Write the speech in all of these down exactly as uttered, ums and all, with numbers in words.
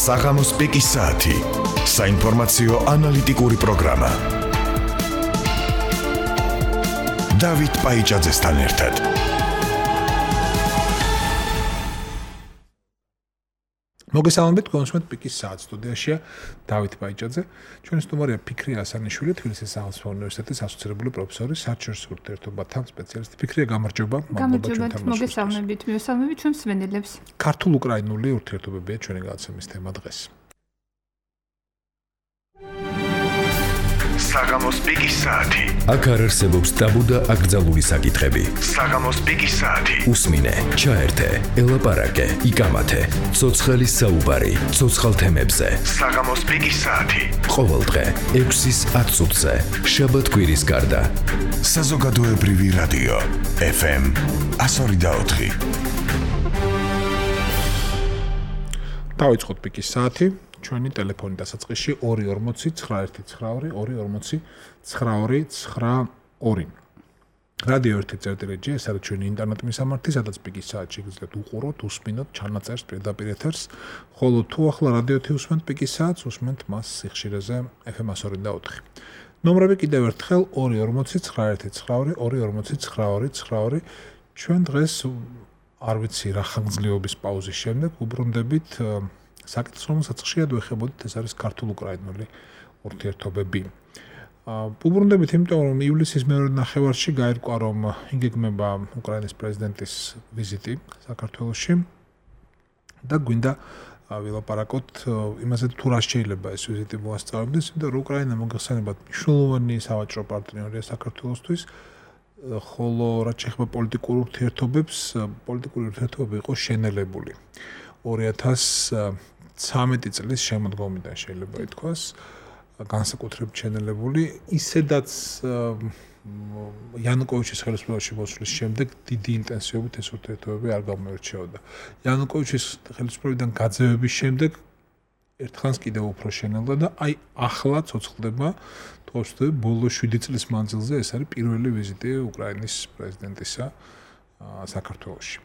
საღამოს პიკის საათი. საინფორმაციო ანალიტიკური პროგრამა. დავით პაიჭაძესთან ერთად. მოგესალმებით, კონსუმენტ პიკის საათის სტუდიაშია დავით პაიჭაძე. ჩვენი სტუმარია ფიქრია ასანიშვილი, თბილისის სახელმწიფო უნივერსიტეტის ასოცირებული პროფესორი, საერთაშორისო ურთიერთობათა სპეციალისტი. ფიქრია, გამარჯობა. გამარჯობა, მოგესალმებით, მივესალმებით ჩვენს მსმენელებს. ქართულ-უკრაინული ურთიერთობებია ჩვენი გადაცემის თემა დღეს. საღამოს პიკის საათი. აქ არ არსებობს ტაბუ და აკრძალული საკითხები. საღამოს პიკის საათი. უსმინე, ჩაერთე, ელაპარაკე, იკამათე. ცოცხალი საუბარი, ცოცხალ თემებზე. საღამოს პიკის საათი. ყოველდღე ექვსის ათ წუთზე. შაბათ-კვირის გარდა. საზოგადოებრივი რადიო ეფ ემ εκατო ორი და ოთხი. დავიწყოთ პიკის საათი. ჩვენი ტელეფონი დასაწყისში ორი ორმოცი ცხრა ერთი ცხრა ორი ორი ორმოცი ცხრა ორი ცხრა ორი. რადიო ერთი წერტილი.ჯი ეს არის ჩვენი ინტერნეტ მისამართი, სადაც პიკის საათში გიძლებთ უყუროთ, უსმინოთ, ჩანაწერს, პირდაპირ ეთერს, ხოლო თუ ახლა რადიო ერთი უსმენთ პიკის საათს, უსმენთ მას სიხშირეზე ეფ ემ εκατო ორი და ოთხი. ნომრები კიდევ ერთხელ ორი ორმოცი ცხრა ერთი ცხრა ორი ორი ორმოცი ცხრა ორი ცხრა ორი. ჩვენ დღეს არ ვიცი რა ხანგრძლივობის პაუზის შემდეგ უბრუნდებით საკითხს, რომელსაც ხშირად ვეხებოდით, ეს არის ქართულ-უკრაინული ურთიერთობები. უბრუნდებით, იმიტომ რომ ივლისის მეორე ნახევარში გაირკვა, რომ იგეგმება უკრაინის პრეზიდენტის ვიზიტი საქართველოში და გვინდა ვილაპარაკოთ იმაზე, თუ რა შეიძლება ეს ვიზიტი მოასწავებდეს, იმიტომ რომ უკრაინა მოგეხსენებათ მნიშვნელოვანი სავაჭრო პარტნიორია საქართველოსთვის, ხოლო რაც შეეხება პოლიტიკურ ურთიერთობებს, პოლიტიკური ურთიერთობები იყო შენელებული. ორი ათას ცამეტი წლის შემოდგომიდან შეიძლება ითქვას, განსაკუთრებით შენელებული, ისედაც იანუკოვიჩის ხელისუფლებაში მოსვლის შემდეგ დიდი ინტენსივობით ეს ურთიერთობები არ გამოირჩეოდა. იანუკოვიჩის ხელისუფლებიდან გაძევების შემდეგ ერთხანს კიდევ უფრო შენელდა და აი ახლა ცოცხლდება, თქოს, ბოლო შვიდი წლის მანძილზე ეს არის პირველი ვიზიტი უკრაინის პრეზიდენტისა საქართველოში.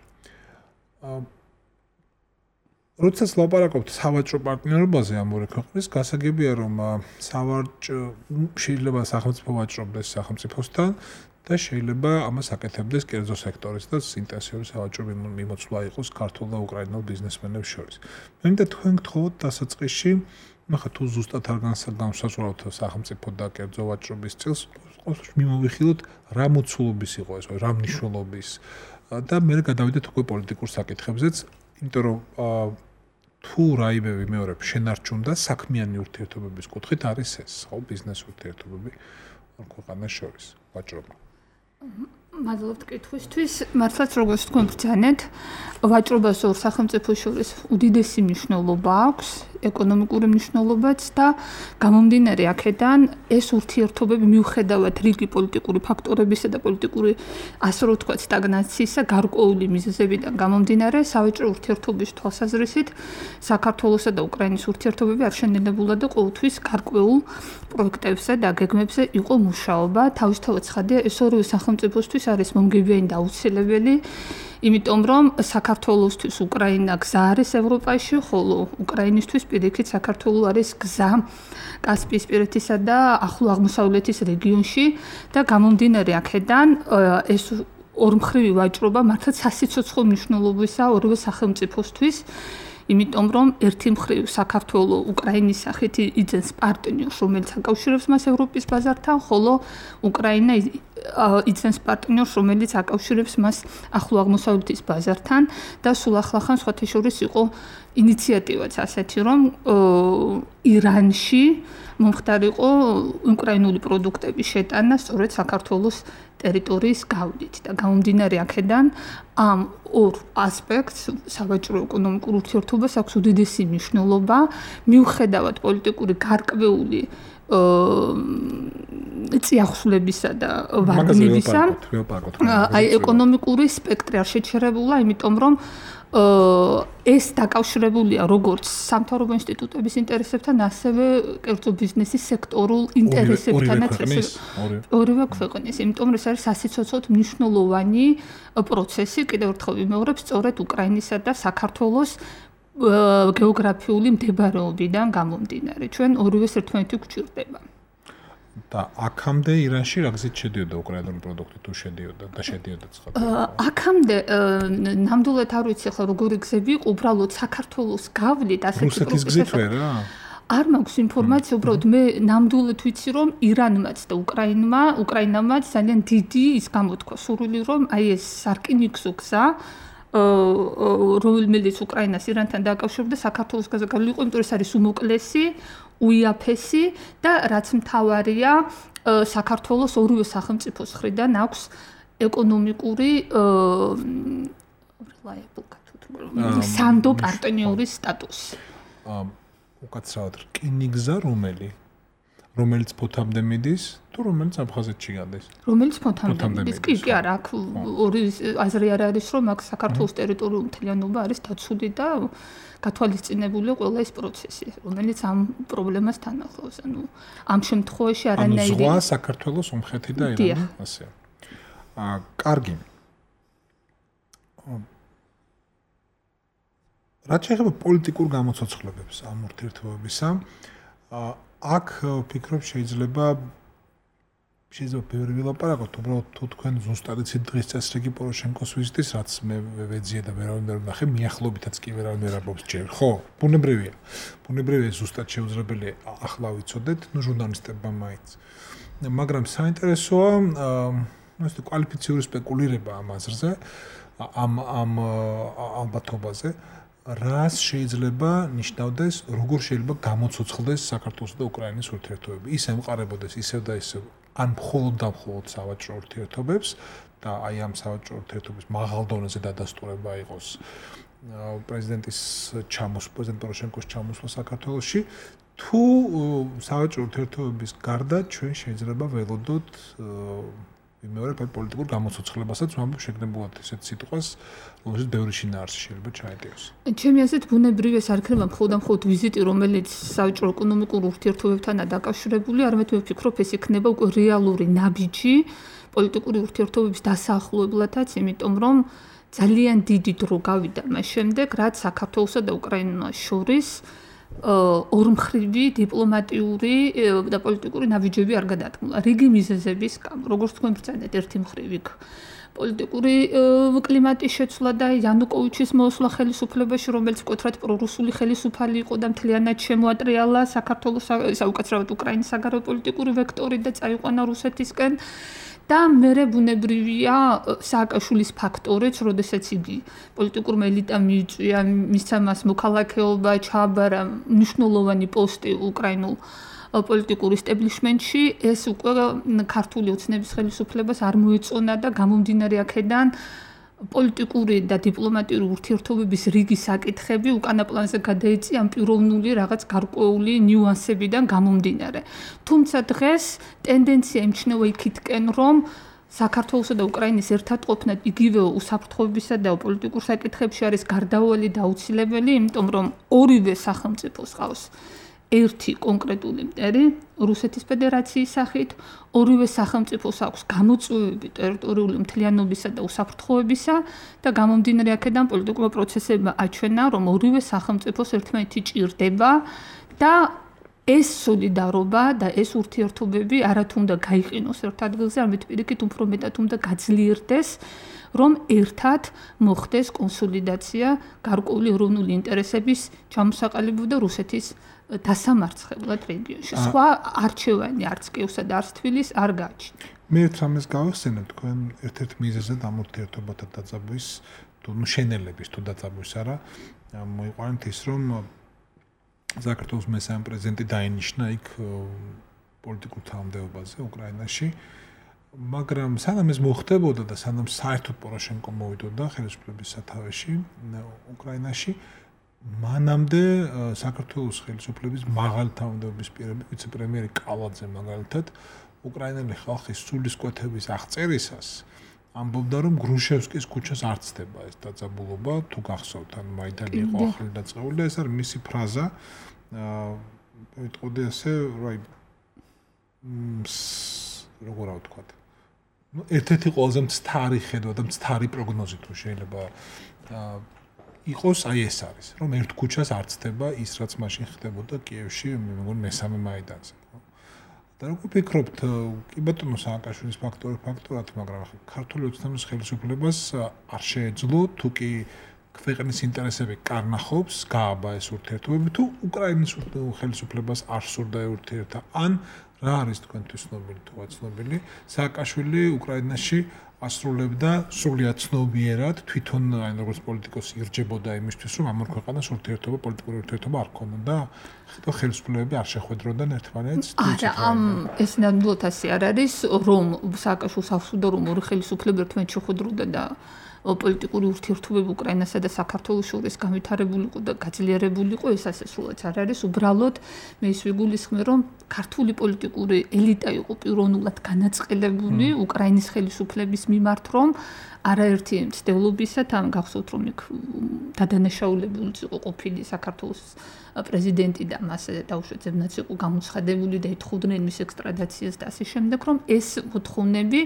როდესაც ლაპარაკობთ სავაჭრო პარტნიორობაზე ამ ორი ქვეყნის, გასაგებია, რომ სავაჭრო შეიძლება სახელმწიფო ვაჭრობდეს სახელმწიფოსთან და შეიძლება ამას აკეთებდეს კერძო სექტორისთან ინტენსიური სავაჭრო მიმოცვლა იყოს ქართულ და უკრაინულ ბიზნესმენებს შორის. მე მინდა თქვენ გთხოვოთ დასაწყისში, ნახა თუ ზუსტად არ განსაზღვრავთ სახელმწიფო და კერძო ვაჭრობის წილს, მიმოვიხილოთ რა მოცულობის იყო ეს, რა მნიშვნელობის და მე გადავიდეთ უკვე პოლიტიკურ საკითხებზეც, იმიტომ რომ თუ რაიმე ვიმეორებ შენარჩუნდა საქმიანი ურთიერთობების კუთხით არის ეს, ხო, ბიზნეს ურთიერთობები ქვეყანას შორის, ვაჭრობა. მადლობთ კითხვისთვის. მართლაც როგორც თქვენ ბრძანეთ, ვაჭრობას ორ სახელმწიფოს შორის უდიდესი მნიშვნელობა აქვს, ეკონომიკური მნიშვნელობაც და გამომდინარე აქედან ეს ურთიერთობები მიუხედავად რიგი პოლიტიკური ფაქტორებისა და პოლიტიკური ასე რომ ვთქვათ სტაგნაციისა გარკვეული მიზეზებიდან გამომდინარე სავაჭრო ურთიერთობის თვალსაზრისით საქართველოსა და უკრაინის ურთიერთობები არ შენელებულა და ყოველთვის გარკვეულ პროექტებზე და გეგმებზე იყო მუშაობა. თავისთავად ცხადია, ეს ორივე სახელმწიფოსთვის არის მომგებიანი და აუცილებელი, იმიტომ რომ საქართველოსთვის უკრაინა გზა არის ევროპაში, ხოლო უკრაინისთვის პირიქით საქართველო არის გზა კასპიისპირეთისა და ახლო აღმოსავლეთის რეგიონში და გამომდინარე აქედან ეს ორმხრივი ვაჭრობა მართლაც სასიცოცხლო მნიშვნელობისაა ორივე სახელმწიფოსთვის. იმიტომ რომ ერთი მხრივ საქართველო უკრაინის სახით იძენს პარტნიორს, რომელიც აკავშირებს მას ევროპის ბაზართან, ხოლო უკრაინა იძენს პარტნიორს, რომელიც აკავშირებს მას ახლო აღმოსავლეთის ბაზართან და სულ ახლახან სხვათა შორის იყო ინიციატივაც ასეთი, რომ ირანში მომხდარიყო უკრაინული პროდუქტების შეტანა სწორედ საქართველოს ტერიტორიის გავლით და გამომდინარე აქედან ამ ორ ასპექტს სავაჭრო ეკონომიკურ ურთიერთობას აქვს უდიდესი მნიშვნელობა, მიუხედავად პოლიტიკური გარკვეული წიაღსვლებისა და ვარდნებისა, აი ეკონომიკური სპექტრი არ შეჩერებულა, იმიტომ რომ ეს დაკავშირებულია როგორც სამთავრობო ინსტიტუტების ინტერესებთან, ასევე კერძო ბიზნესის სექტორულ ინტერესებთანაც, ორივე ქვეყნის. იმიტომ რომ ეს არის სასიცოცხლოდ მნიშვნელოვანი პროცესი, კიდევ ერთხელ ვიმეორებ, სწორედ უკრაინისა და საქართველოს გეოგრაფიული მდებარეობიდან გამომდინარე. ჩვენ ორივეს ერთმანეთი გვჭირდება. და აქამდე ირანში რა გზით შედიოდა უკრაინული პროდუქტი თუ შედიოდა და შედიოდა ცხადია. აქამდე ნამდვილად არ ვიცი ახლა როგორი გზები იყო, უბრალოდ საქართველოს გავლით ასეთი რუსეთის გზით ვერა? არ მაქვს ინფორმაცია, უბრალოდ მე ნამდვილად ვიცი რომ ირანმაც და უკრაინმა, უკრაინამაც ძალიან დიდი ის გამოთქვა სურვილი რომ აი ეს სარკინიგზო გზა რომელიც უკრაინას ირანთან დააკავშირებდა საქართველოს გზაზე გავლიყო, იმიტომ რომ ეს არის უმოკლესი, უიაფესი და რაც მთავარია საქართველოს ორივე სახელმწიფოს მხრიდან აქვს ეკონომიკური სანდო პარტნიორის სტატუსი. უკაცრავად რკინიგზა რომელი? რომელიც ფოთამდე მიდის თუ რომელიც აფხაზეთში გადის? რომელიც ფოთამდე მიდის? კი, კი არა, აქ ორი აზრი არ არის რომ აქ საქართველოს ტერიტორიული მთლიანობა არის დაცული და გათვალისწინებული ყველა ეს პროცესი, რომელიც ამ პრობლემას თან ახლავს. ანუ ამ შემთხვევაში არანაირი ანუ ზღვა საქართველოს ომხეთი და ირანი, ასე. აა, კარგი. რაც შეეხება პოლიტიკურ გამოცოცხლებებს ამ ურთიერთობებისა, აა აქ ვფიქრობ შეიძლება შეიძლება ბევრი ვილაპარაკოთ, უბრალოდ თუ თქვენ ზუსტად იცით დღის წესრიგი პოროშენკოს ვიზიტის, რაც მე ვეძიე და ვერავინ ვერ ვნახე, მიახლოებითაც კი ვერავინ ვერ აბობს ჯერ, ხო? ბუნებრივია. ბუნებრივია ზუსტად შეუძლებელია ახლა ვიცოდეთ, ნუ ჟურნალისტებმა მაინც. მაგრამ საინტერესოა, ნუ ეს კვალიფიციური სპეკულირება ამ აზრზე, ამ ამ ალბათობაზე. რას შეიძლება ნიშნავდეს, როგორ შეიძლება გამოცოცხლდეს საქართველოს და უკრაინის ურთიერთობები. ის ემყარებოდეს ისევ და ისევ ან მხოლოდ და მხოლოდ სავაჭრო ურთიერთობებს და აი ამ სავაჭრო ურთიერთობების მაღალ დონეზე დადასტურება იყოს პრეზიდენტის ჩამოსვლა, პრეზიდენტ პოროშენკოს ჩამოსვლა საქართველოში, თუ სავაჭრო ურთიერთობების გარდა ჩვენ შეიძლება ველოდოთ მეორე პოლიტიკურ გამოცოცხლებასაც ვამბობ შეგნებულად ესეთ სიტყვას, რომელშიც ბევრი შინაარსი შეიძლება ჩაეტიოს. ჩემი აზრით ბუნებრივია ეს არ იქნება მხოლოდ და მხოლოდ ვიზიტი, რომელიც სავაჭრო ეკონომიკურ ურთიერთობებთანაა დაკავშირებული, არამედ მე ვფიქრობ ეს იქნება უკვე რეალური ნაბიჯი პოლიტიკური ურთიერთობების დასაახლებლათაც, იმიტომ რომ ძალიან დიდი დრო გავიდა მას შემდეგ, რაც საქართველოსა და უკრაინას შორის ორმხრივი დიპლომატიური და პოლიტიკური ნაბიჯები არ გადადგმულა. რიგი მიზეზების გამო, როგორც თქვენ ბრძანეთ, ერთი მხრივ იქ პოლიტიკური კლიმატის შეცვლა და იანუკოვიჩის მოსვლა ხელისუფლებაში, რომელიც მკვეთრად პრორუსული ხელისუფალი იყო და მთლიანად შემოატრიალა საქართველოს საუკეთესოდ უკრაინის საგარეო პოლიტიკური ვექტორი და წაიყვანა რუსეთისკენ. და მერე ბუნებრივია სააკაშვილის ფაქტორიც, როდესაც იგი პოლიტიკურმა ელიტამ მიიწვია, მისცა მას მოქალაქეობა, ჩააბარა მნიშვნელოვანი პოსტი უკრაინულ პოლიტიკურ ესტაბლიშმენტში, ეს უკვე ქართული ოცნების ხელისუფლებას არ მოეწონა და გამომდინარე აქედან პოლიტიკური და დიპლომატიური ურთიერთობების რიგი საკითხები უკანა პლანზე გადაეწია ამ პიროვნული რაღაც გარკვეული ნიუანსებიდან გამომდინარე. თუმცა დღეს ტენდენცია იმჩნევა იქითკენ, რომ საქართველოსა და უკრაინის ერთად ყოფნა იგივე უსაფრთხოებისა და პოლიტიკურ საკითხებში არის გარდაუვალი და აუცილებელი, იმიტომ რომ ორივე სახელმწიფოს ყავს ერთი კონკრეტული მტერი რუსეთის ფედერაციის სახით, ორივე სახელმწიფოს აქვს გამოწვევები ტერიტორიული მთლიანობისა და უსაფრთხოებისა და გამომდინარე აქედან პოლიტიკურმა პროცესებმა აჩვენა, რომ ორივე სახელმწიფოს ერთმანეთი ჭირდება და ეს სოლიდარობა და ეს ურთიერთობები არათუ უნდა გაიყინოს ერთ ადგილზე, არამედ პირიქით უფრო მეტად უნდა გაძლიერდეს, რომ ერთად მოხდეს კონსოლიდაცია გარკვეული ეროვნული ინტერესების ჩამოსაყალიბებლად და რუსეთის დასამარცხებლად რეგიონში. სხვა არჩევანი არც კიევსა და არც თბილისს არ გააჩნია. მე ერთ რამეს გავახსენებ, თქვენ ერთ-ერთ მიზეზად ამ ურთიერთობათა დაძაბვის, თუ შენელების თუ დაძაბვის არა, მოიყვანეთ ის, რომ საქართველოს მესამე პრეზიდენტი დაინიშნა იქ პოლიტიკურ თანამდებობაზე უკრაინაში, მაგრამ სანამ ეს მოხდებოდა და სანამ საერთოდ პოროშენკო მოვიდოდა ხელისუფლების სათავეში უკრაინაში, მანამდე საქართველოს ხელისუფლების მაღალი თანამდებობის პირები, ვიცე-პრემიერი კალაძე მაგალითად, უკრაინელი ხალხის სულისკვეთების აღწერისას ამბობდა, რომ გრუშევსკის ქუჩას არ ცდება ეს დაძაბულობა, თუ გახსოვთ, ან მაიდანი იყო ახალი დაწყებული და ეს არის მისი ფრაზა. აა ვიტყოდი ასე, რა როგორ ავთქვათ. ნუ ერთ-ერთი ყველაზე მცდარი ხედვა და მცდარი პროგნოზი თუ შეიძლება აა იყოს აი ეს არის, რომ ერთ ქუჩას არ ცდება ის, რაც მაშინ ხდებოდა კიევში, მე მგონი მესამე მაიდანზე. და როგორ ფიქრობთ, კი ბატონო სააკაშვილის ფაქტორი ფაქტორად, მაგრამ ქართული ოცნების ხელისუფლებას არ შეეძლო თუ კი ქვეყნის ინტერესები კარნახობს, გააბა ეს ურთიერთობები თუ უკრაინის ხელისუფლებას არ სურდა ურთიერთა, ან რა არის თქვენთვის ცნობილი თუ აცნობილი, სააკაშვილი უკრაინაში ასრულებდა სრულიად ცნობიერად თვითონ აი როგორც პოლიტიკოსი ირჯებოდა იმისთვის, რომ ამ ორ ქვეყანას ურთიერთობა, პოლიტიკური ურთიერთობა არ ქონოდა, და ხელისუფლებები არ შეხვედროდნენ ერთმანეთს. არა, ამ ეს ნამდვილად ასე არ არის, რომ სააკაშვილს ახსოვდა, რომ ორი ხელისუფლება ერთმანეთს შეხვედროდა და პოლიტიკური ურთიერთობები უკრაინასა და საქართველოს შორის განვითარებული იყო და გაძლიერებული იყო, ეს ასე სულაც არ არის. უბრალოდ მე ის ვიგულისხმე, რომ ქართული პოლიტიკური ელიტა იყო პიროვნულად განაწყელებული უკრაინის ხელისუფლების მიმართ, რომ არაერთი მცდელობისა თან გახსოვთ, რომ იქ დადანაშაულებულიც იყო ყოფილი საქართველოს პრეზიდენტი და მას დაუშვებაც იყო გამოცხადებული და ეთხოვდნენ მის ექსტრადაციას და ასე შემდეგ, რომ ეს მოთხოვნები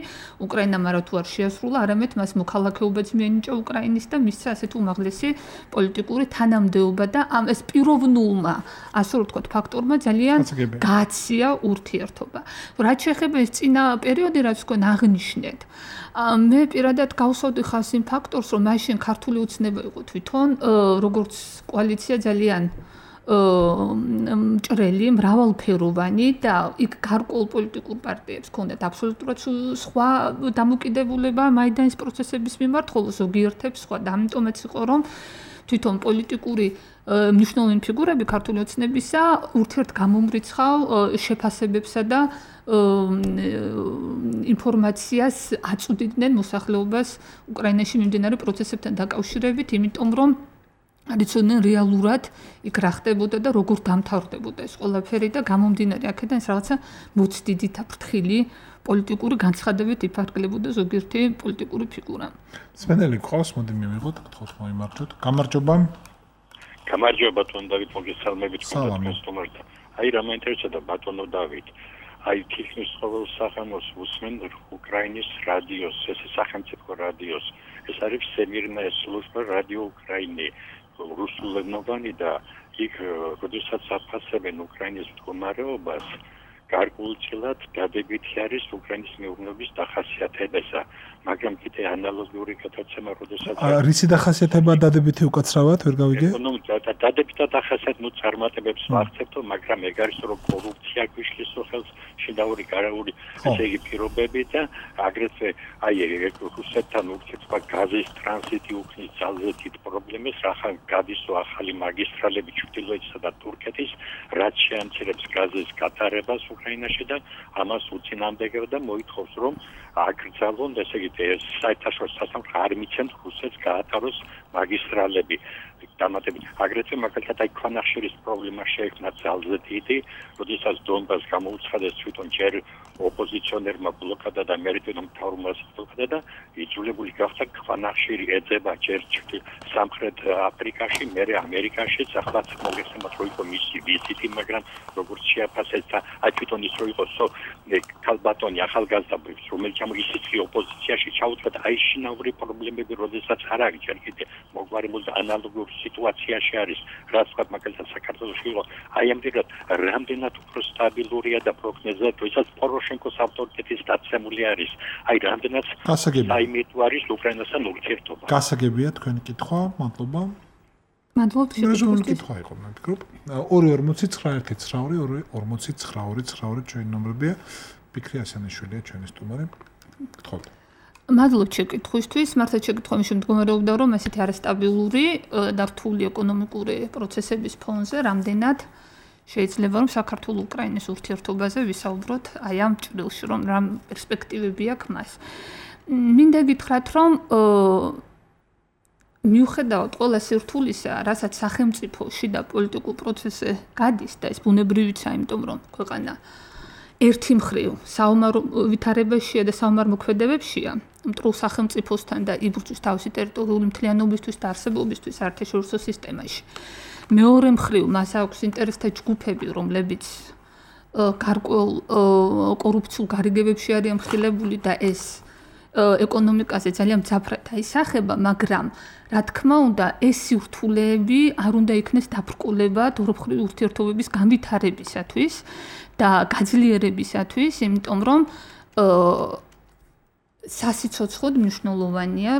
უკრაინამ არა თუ არ შეასრულა, არამედ მას მოქალაქეობაც მიენიჭა უკრაინის და მისცა ასეთ უმაღლესი პოლიტიკური თანამდებობა და ამ ეს პიროვნულმა, ასე რომ ვთქვათ, ფაქტორმა ძალიან გააცია ურთიერთობა. რაც შეეხება ეს წინა პერიოდი, რაც თქვენ აღნიშნეთ, მე პირადად გავსავდი ხას იმ ფაქტორს, რომ მაშინ ქართული ოცნება იყო თვითონ როგორც კოალიცია ძალიან მჭრელი, მრავალფეროვანი და იქ გარკვეულ პოლიტიკურ პარტიებს ჰქონდათ აბსოლუტურად სხვა დამოკიდებულება მაიდანის პროცესების მიმართ, ხოლო ზოგიერთებს სხვა. და ამიტომაც იყო, რომ თვითონ პოლიტიკური მნიშვნელოვანი ფიგურები ქართული ოცნებისა ურთიერთგამომრიცხავ შეფასებებსა და ინფორმაციას აწვდიდნენ მოსახლეობას უკრაინაში მიმდინარე პროცესებთან დაკავშირებით, იმიტომ რომ არიცოდნენ რეალურად იქ რა ხდებოდა და როგორ დამთავრდებოდა ეს ყველაფერი და გამომდინარე აქედან ეს რაღაცა მოცდიდით აფრთხილი პოლიტიკური განცხადებებით იფარგლებოდა ზოგიერთი პოლიტიკური ფიგურა. სპენელი ყავს, მოდი მივიღოთ, გთხოვთ მოიმართოთ. გამარჯობა. გამარჯობა ბატონო დავით, მოგესალმებით კონსტუმერთა. აი რა მაინტერესებდა ბატონო დავით. აი თითქმის ყოველ სახანოს უსმენ უკრაინის რადიოს, ეს სახელმწიფო რადიოს. ეს არის всемирная служба радио Украины. რუსულენოვანი და იქ როდესაც აფასებენ უკრაინის მდგომარეობას, გარკვეულწილად დადებითი არის უკრაინის მეურნეობის დახასიათებისა, მაგრამ კიდე ანალოგიური გადაცემა, როდესაც რისი დახასიათება დადებითი უკაცრავად, ვერ გავიგე? ნუ დადებითი დახასიათება ნუ წარმატებებს ვახცებთ, მაგრამ ეგ არის რომ კორუფცია გვიშლის ხელს, შინაური გარეული ესე იგი პირობები და აგრეთვე აი რუსეთთან ურთიერთობა გაზის ტრანზიტი უქმნის ძალზე დიდ პრობლემას, რახან გადისო ახალი მაგისტრალები ჩრდილოეთისა და თურქეთის, რაც შეამცირებს გაზის გატარებას უკრაინაში და ამას უწინააღმდეგება და მოითხოვს რომ აკრძალონ ესე იგი საერთაშორისო სასამართლო არ მიცემთ რუსეთს გაატაროს მაგისტრალები. დამატებით აგრეთვე მაგალითად აი ქვანახშირის პრობლემა შეექმნა ძალზე დიდი, როდესაც დონბას გამოუცხადეს თვითონ ჯერ ოპოზიციონერმა ბლოკადა და მერიტონომ მთავრობმა ბლოკადა და იძულებული გახდა ქვანახშირი ეძება ჯერ სამხრეთ აფრიკაში, მერე ამერიკაშიც, ახლაც მოგესალმათ რომ იყო მისი ვიზიტი, მაგრამ როგორც შეაფასეს და აი თვითონ ის რო იყო ქალბატონი ახალგაზრდა, რომელიც ამ ისიც ოპოზიციაში ჩაუდგა და აი შინაური პრობლემები, როდესაც არ არის ჯერ კიდე მოგვარებული ანალოგური სიტუაციაში არის, რაც თქვა მაგალითად საქართველოში იყო, აი ამგვარად რამდენად უფრო სტაბილურია და პროგნოზად, ვისაც პოროშენკოს ავტორიტეტის დაცემული არის, აი რამდენად საიმედო არის უკრაინასთან ურთიერთობა. გასაგებია თქვენი კითხვა, მადლობა. მადლობა შეგვიძლია კითხვა იყო, მე ვფიქრობ. ორი ორმოცი ცხრა ერთი ცხრა ორი ორი ორმოცი ცხრა ორი ცხრა ორი ჩვენი ნომრებია. ფიქრი ასანიშვილია ჩვენი სტუმარი. გთხოვთ. მადლობთ შეკითხვისთვის. მართლა შეკითხვა მის შემდგომარეობდა, რომ ესეთი არასტაბილური და რთული ეკონომიკური პროცესების ფონზე რამდენად შეიძლება რომ საქართველოს უკრაინის ურთიერთობაზე ვისაუბროთ აი ამ ჭრილში, რომ რა პერსპექტივები აქვს მას. მინდა გითხრათ, რომ მიუხედავად ყველა სირთულისა, რასაც სახელმწიფოში და პოლიტიკურ პროცესზე გადის და ეს ბუნებრივია, იმიტომ რომ ქვეყანა ერთი მხრივ საომარ ვითარებაშია და საომარ მოქმედებებშია, მტრულ სახელმწიფოსთან და იბრძვის თავისი ტერიტორიული მთლიანობისთვის და არსებობისთვის საერთაშორისო სისტემაში. მეორე მხრივ მას აქვს ინტერესთა ჯგუფები, რომლებიც გარკვეულ კორუფციულ გარიგებებში არიან მხილებული და ეს ეკონომიკაზე ძალიან მძაფრად აისახება, მაგრამ რა თქმა უნდა, ეს სირთულეები არ უნდა იქნეს დაბრკოლებად ორმხრივი ურთიერთობების განვითარებისათვის და გაძლიერებისათვის, იმიტომ რომ სასიცოცხლოდ მნიშვნელოვანია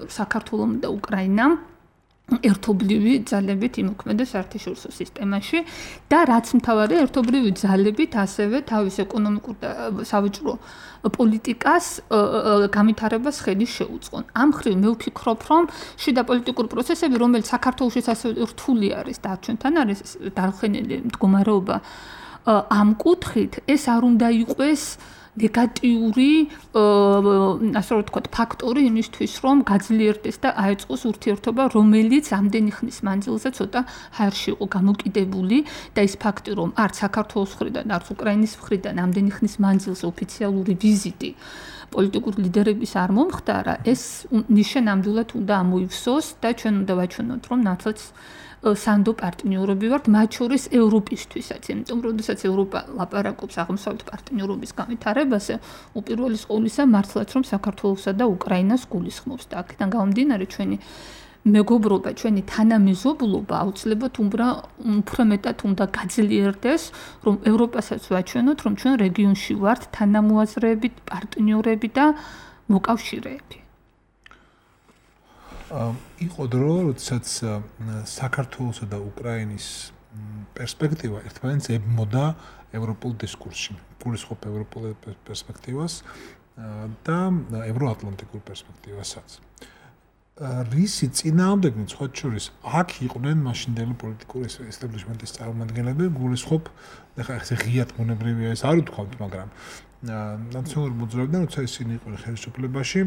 საქართველოს და უკრაინამ ერთობლივი ძალებით იმოქმედოს საერთაშორისო სისტემაში და რაც მთავარია ერთობლივი ძალებით ასევე თავის ეკონომიკურ და სავაჭრო პოლიტიკას განვითარებას ხედი შეუწყონ. ამ ხრივ მე ვფიქრობ, რომ შიდა პოლიტიკური პროცესები, რომელიც საქართველოშიც ასევე რთული არის და ჩვენთან არის დარხენილი მდგომარეობა ამ კუთხით, ეს არ უნდა იყოს ნეგატიური, ასე რომ ვთქვათ, ფაქტორი იმისთვის, რომ გაძლიერდეს და აეწყოს ურთიერთობა, რომელიც ამდენი ხნის მანძილზე ცოტა ჰაერში იყო გამოკიდებული და ის ფაქტი, რომ არც საქართველოს მხრიდან, არც უკრაინის მხრიდან ამდენი ხნის მანძილზე ოფიციალური ვიზიტი პოლიტიკური ლიდერების არ მომხდარა, ეს ნიშნამდვილად უნდა ამოივსოს და ჩვენ უნდა ვაჩვენოთ, რომ ნაცვლად სანდო პარტნიორები ვართ, მათ შორის ევროპისთვისაც, იმიტომ რომ როდესაც ევროპა ლაპარაკობს აღმოსავლეთ პარტნიორობის განვითარებაზე, უპირველეს ყოვლისა მართლაც რომ საქართველოსა და უკრაინას გულისხმობს და აქედან გამომდინარე ჩვენი მეგობრობა, ჩვენი თანამეზობლობა აუცილებლად უფრო მეტად უნდა გაძლიერდეს, რომ ევროპასაც ვაჩვენოთ, რომ ჩვენ რეგიონში ვართ თანამოაზრეები, პარტნიორები და მოკავშირეები. იყო დრო, როდესაც საქართველოსა და უკრაინის პერსპექტივა ერთმანეთს ებმოდა ევროპულ დისკურსში, გულისხმობ ევროპულ პერსპექტივას და ევროატლანტიკურ პერსპექტივასაც. რისი წინააღმდეგნი სხვა შორის აქ იყვნენ მაშინდელი პოლიტიკური ესტაბლიშმენტის წარმომადგენლები, გულისხმობ, ეხლა ეს ღიად მონებრივია ეს არ ვთქვათ, მაგრამ ნაციონალურ მოძრაობიდან როცა ისინი იყვნენ ხელისუფლებაში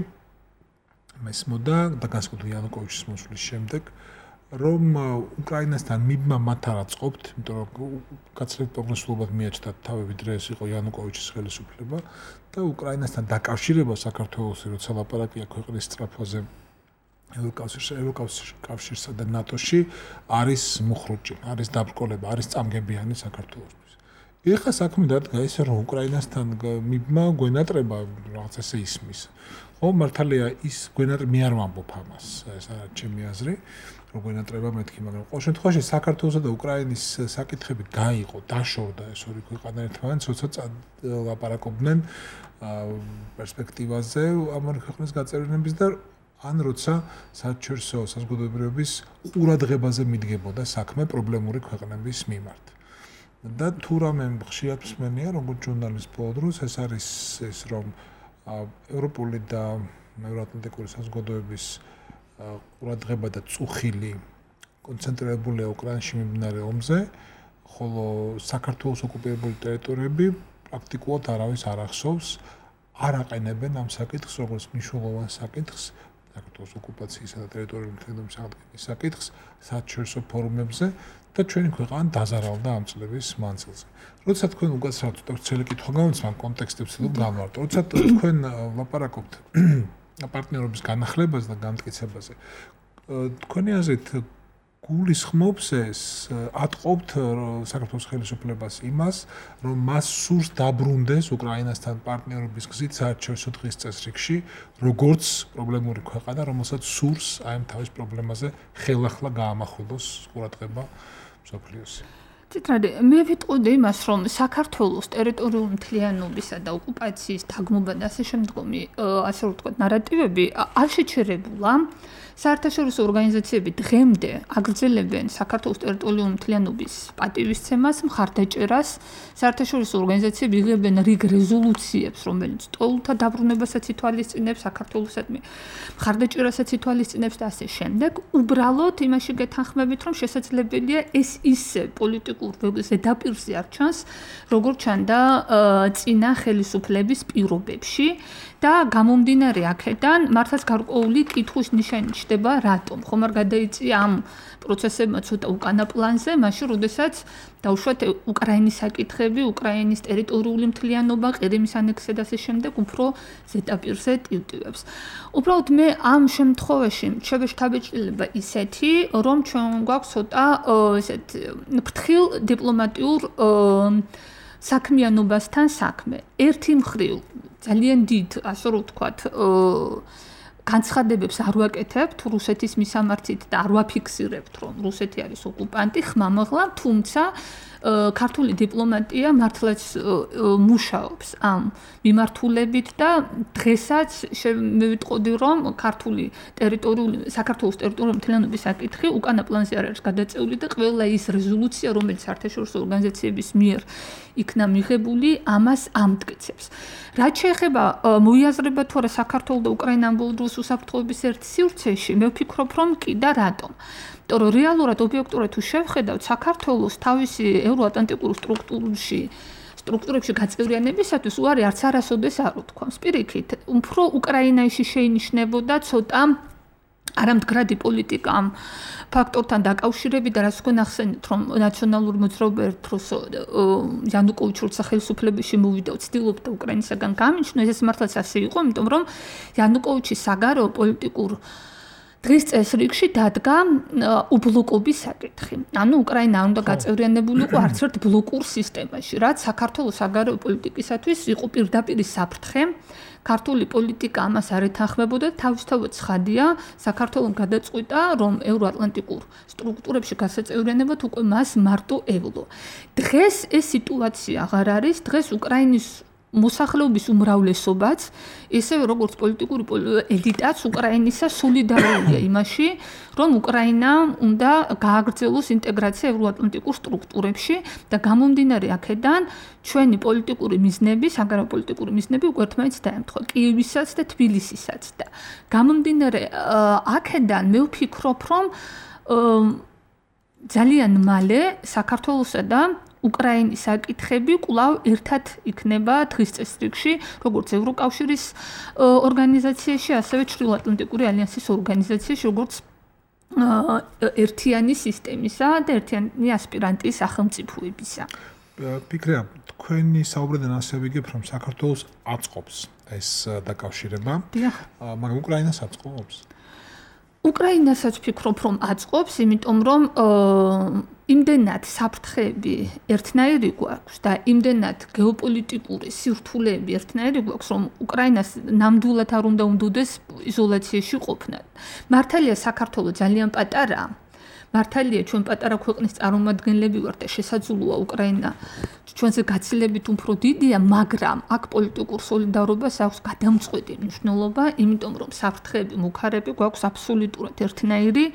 მესმოდა და განსაკუთრებით იანუკოვიჩის მოსვლის შემდეგ, რომ უკრაინასთან მიბმა მათ არ აწყობთ, იმიტომ რომ გაცილებით პროგრესულად მიაჩნდათ თავი, ვიდრე ეს იყო იანუკოვიჩის ხელისუფლება და უკრაინასთან დაკავშირება საქართველოსი, როცა ლაპარაკია ქვეყნის სწრაფაზე ევროკავშირში, ევროკავშირსა და ნატოში არის მუხრუჭი, არის დაბრკოლება, არის წამგებიანი საქართველოსთვის. ეხლა საქმე დადგა ისე, რომ უკრაინასთან მიბმა გვენატრება რაღაც ესე ისმის. ხო, მართალია ის გვენატრება მე არ ვამბობ ამას, ეს არის ჩემი აზრი, რომ გვენატრება მეთქი, მაგრამ ყოველ შემთხვევაში საქართველოსა და უკრაინის საკითხები გაიყო, დაშორდა ეს ორი ქვეყანა ერთმანეთს, როცა ლაპარაკობდნენ პერსპექტივაზე ამ ორი ქვეყნის გაწევრიანების და ან როცა საერთაშორისო საზოგადოებრივების ყურადღებაზე მიდგებოდა საქმე პრობლემური ქვეყნების მიმართ. და თუ რამე ხშირად მსმენია, როგორც ჟურნალისტ ბოლო დროს, ეს არის ეს რომ ევროპული და ევროატლანტიკური საზოგადოების ყურადღება და წუხილი კონცენტრირებულია უკრაინაში მიმდინარე ომზე, ხოლო საქართველოს ოკუპირებული ტერიტორიები პრაქტიკულად არავის არ ახსოვს, არ აყენებენ ამ საკითხს, როგორც მნიშვნელოვან საკითხს, საქართველოს ოკუპაციისა და ტერიტორიული მთლიანობის აღდგენის საკითხს საერთაშორისო ფორუმებზე და ჩვენი ქვეყანა დაზარავდა ამ წლების მანძილზე. როცა თქვენ უკაცრავთ და ცელი კითხვა გამოცემ კონტექსტი ვცდილობ განვარტო. როცა თქვენ ლაპარაკობთ პარტნიორობის განახლებაზე და გამტკიცებაზე, თქვენი აზრით გულისხმობს ეს, ატყობთ საქართველოს ხელისუფლებას იმას, რომ მას სურს დაბრუნდეს უკრაინასთან პარტნიორობის გზით საერთაშორისო დღის წესრიგში, როგორც პრობლემური ქვეყანა, რომელსაც სურს აი ამ თავის პრობლემაზე ხელახლა გაამახვილოს ყურადღება მსოფლიოსი. ციტრადე, მე ვიტყოდი იმას, რომ საქართველოს ტერიტორიული მთლიანობისა და ოკუპაციის დაგმობა და ასე შემდგომი, ასე რომ ვთქვათ, ნარატივები არ შეჩერებულა. საერთაშორისო ორგანიზაციები დღემდე აგრძელებენ საქართველოს ტერიტორიული მთლიანობის პატივისცემას, მხარდაჭერას. საერთაშორისო ორგანიზაციები იღებენ რიგ რეზოლუციებს, რომელიც ტოლთა დაბრუნებასაც ითვალისწინებს, საქართველოსადმი მხარდაჭერასაც ითვალისწინებს და ასე შემდეგ. უბრალოდ იმაში გეთანხმებით, რომ შესაძლებელია ეს ისე პოლიტიკურ ზედაპირზე არ ჩანს, როგორც ჩანდა წინა ხელისუფლების პირობებში. და გამომდინარე აქედან მართლაც გარკვეული კითხვის ნიშანი ჩნდება რატომ ხომ არ გადაიწია ამ პროცესებმა ცოტა უკანა პლანზე მაშინ როდესაც დაუშვათ უკრაინის საკითხები უკრაინის ტერიტორიული მთლიანობა ყირიმის ანექსია და ასე შემდეგ უფრო ზედაპირზე ტივტივებს უბრალოდ მე ამ შემთხვევაში შევეშთაბეჭდილება ისეთი რომ ჩვენ გვაქვს ცოტა ესეთ ფრთხილ დიპლომატიურ საქმიანობასთან საქმე ერთი მხრივ ძალიან დიდ, ასე რომ ვთქვათ, განცხადებებს არ ვაკეთებთ რუსეთის მისამართით და არ ვაფიქსირებთ, რომ რუსეთი არის ოკუპანტი, ხმამაღლა, თუმცა ქართული დიპლომატია მართლაც მუშაობს ამ მიმართულებით და დღესაც მე ვიტყოდი, რომ ქართული ტერიტორიული საქართველოს ტერიტორიული მთლიანობის საკითხი უკანა პლანზე არ არის გადაწეული და ყველა ის რეზოლუცია, რომელიც საერთაშორისო ორგანიზაციების მიერ იქნა მიღებული, ამას ამტკიცებს. რაც შეეხება მოიაზრება თუ არა საქართველოს და უკრაინა ამ ბოლო დროს უსაფრთხოების ერთ სივრცეში, მე ვფიქრობ, რომ კი და რატომ. იმიტომ რომ რეალურად ობიექტურად თუ შევხედავთ, საქართველოს თავისი ევროატლანტიკურ სტრუქტურებში სტრუქტურებში გაწევრიანებისათვის უარი არც არასოდეს არ უთქვამს. პირიქით, უფრო უკრაინაში შეინიშნებოდა ცოტა არამდგრადი პოლიტიკა ამ ფაქტორთან დაკავშირებით და რაც თქვენ ახსენეთ, რომ ნაციონალური მოძრაობა ერთ დროს იანუკოვიჩი როცა ხელისუფლებაში მოვიდა, ცდილობდა უკრაინისაგან გამიჩნო, ეს მართლაც ასე იყო, იმიტომ რომ იანუკოვიჩის საგარეო პოლიტიკურ დღის წესრიგში დადგა უბლოკობის საკითხი. ანუ უკრაინა უნდა გაწევრიანებულიყო არც ერთ ბლოკურ სისტემაში, რაც საქართველოს საგარეო პოლიტიკისათვის იყო პირდაპირ საფრთხე. ქართული პოლიტიკა ამას არ ეთანხმებოდა და თავისთავად ცხადია, საქართველოს გადაწყვიტა, რომ ევროატლანტიკურ სტრუქტურებში გასაწევრიანებად უკვე მას მარტო ევლო. დღეს ეს სიტუაცია აღარ არის, დღეს უკრაინის მოსახლეობის უმრავლესობაც, ისევე როგორც პოლიტიკური ელიტაც უკრაინისა სოლიდარულია იმაში, რომ უკრაინა უნდა გააგრძელოს ინტეგრაცია ევროატლანტიკურ სტრუქტურებში და გამომდინარე აქედან ჩვენი პოლიტიკური მიზნები, საგარეო პოლიტიკური მიზნები უკვე ერთმანეთს დაემთხვა, კიევისაც და თბილისისაც და გამომდინარე აქედან მე ვფიქრობ, რომ ძალიან მალე საქართველოსა და უკრაინის საკითხები კვლავ ერთად იქნება დღის წესრიგში, როგორც ევროკავშირის ორგანიზაციაში, ასევე ჩრდილოატლანტიკური ალიანსის ორგანიზაციაში, როგორც ერთიანი სისტემისა და ერთიანი ასპირანტის სახელმწიფოებისა. ფიქრია, თქვენი საუბრიდან ასე ვიგებ, რომ საქართველოს აწყობს ეს დაკავშირება, მაგრამ უკრაინას აწყობს? უკრაინასაც ვფიქრობ, რომ აწყობს, იმიტომ რომ იმდენად საფრთხეები ერთნაირი გვაქვს და იმდენად გეოპოლიტიკური სირთულეები ერთნაირი გვაქვს, რომ უკრაინას ნამდვილად არ უნდა უნდოდეს იზოლაციაში ყოფნა. მართალია საქართველო ძალიან პატარაა. მართალია ჩვენ პატარა ქვეყნის წარმომადგენლები ვართ და შესაძლოა უკრაინა ჩვენზე გაცილებით უფრო დიდია, მაგრამ აქ პოლიტიკურ სოლიდარობას აქვს გადამწყვეტი მნიშვნელობა, იმიტომ რომ საფრთხეები, მუქარები გვაქვს აბსოლუტურად ერთნაირი,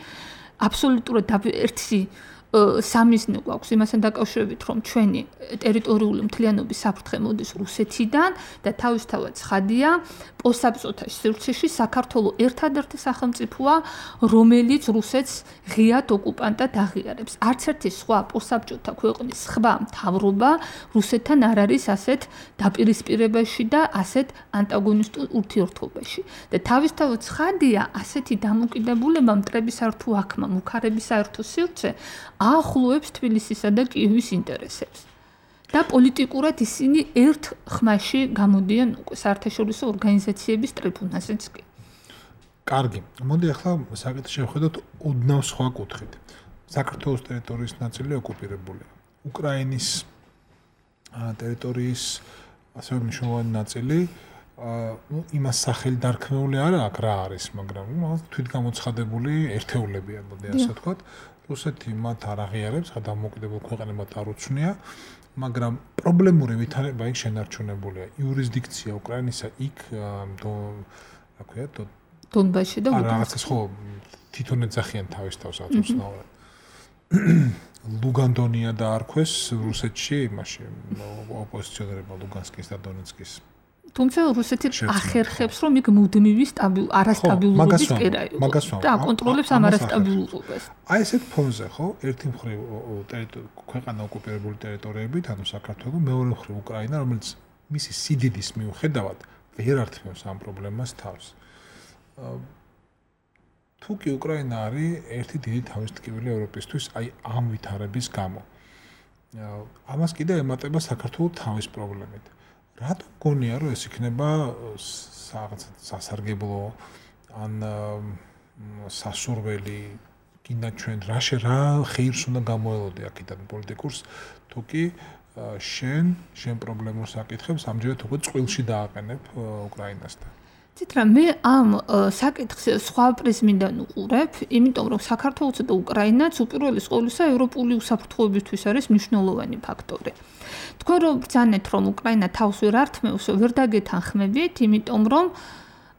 აბსოლუტურად ერთი სამიზნე გვაქვს იმასთან დაკავშირებით, რომ ჩვენი ტერიტორიული მთლიანობის საფრთხე მოდის რუსეთიდან და თავისთავად ცხადია, პოსტსაბჭოთა სივრცეში საქართველოს ერთადერთი სახელმწიფოა, რომელიც რუსეთს ღიად ოკუპანტად აღიარებს. არც ერთი სხვა პოსტსაბჭოთა ქვეყნის სხვა მთავრობა რუსეთთან არ არის ასეთ დაპირისპირებაში და ასეთ ანტაგონისტურ ურთიერთობაში. და თავისთავად ცხადია, ასეთი დამოკიდებულება მტრების საერთო აქმა, მუქარების საერთო სივრცე ახლოვებს თბილისისა და კიევის ინტერესებს. და პოლიტიკურად ისინი ერთ ხმაში გამოდიან უკვე საერთაშორისო ორგანიზაციების ტრიბუნაზეც კი. კარგი. მოდი ახლა საკითხი შევხედოთ ოდნავ სხვა კუთხით. საქართველოს ტერიტორიის ნაწილი ოკუპირებულია. უკრაინის ტერიტორიის ასევე მნიშვნელოვანი ნაწილი ну იმას სახელი დარქმეული არა აქ რა არის, მაგრამ თვითგამოცხადებული ერთეულებია, მოდი ასე ვთქვათ. რუსეთი მათ არ აღიარებს, დამოუკიდებელ ქვეყნებად არ უცნია, მაგრამ პრობლემური ვითარება იქ შენარჩუნებულია. იურისდიქცია უკრაინისა იქ რა ქვია, დონბასში და რაღაცა ხო თვითონ ეძახიან თავის თავს აწუხნაურად. ლუგანდონია და არქვეს რუსეთში იმაში ოპოზიციონერებმა ლუგანსკის და დონეცკის. თუმცა რუსეთი ახერხებს, რომ იქ მუდმივი სტაბილ არასტაბილურობის კერა იყოს და აკონტროლებს ამ არასტაბილურობას. აი ესეთ ფონზე ხო, ერთი მხრივ ქვეყანა ოკუპირებული ტერიტორიებით, ანუ საქართველო, მეორე მხრივ უკრაინა, რომელიც მისი სიდიდის მიუხედავად ვერ ართმევს ამ პრობლემას თავს. თუ კი უკრაინა არის ერთი დიდი თავისტკივილი ევროპისთვის, აი ამ ვითარების გამო. ამას კიდე ემატება საქართველოს თავის პრობლემით. რატო გონია რომ ეს იქნება სასარგებლო ან სასურველი კიდე ჩვენ რა შე რა ხეირს უნდა გამოელოდე აქედან პოლიტიკურს თუ კი შენ შენ პრობლემურ საკითხებს ამჯერად უკვე წყვილში დააყენებ უკრაინასთან. ცით რა მე ამ საკითხს სხვა პრიზმიდან უყურებ, იმიტომ რომ საქართველოსა და უკრაინაც უპირველეს ყოვლისა ევროპული უსაფრთხოებისთვის არის მნიშვნელოვანი ფაქტორი. თქვენ რომ ბრძანეთ რომ უკრაინა თავს ვერ ართმევს, ვერ დაგეთანხმებით, იმიტომ რომ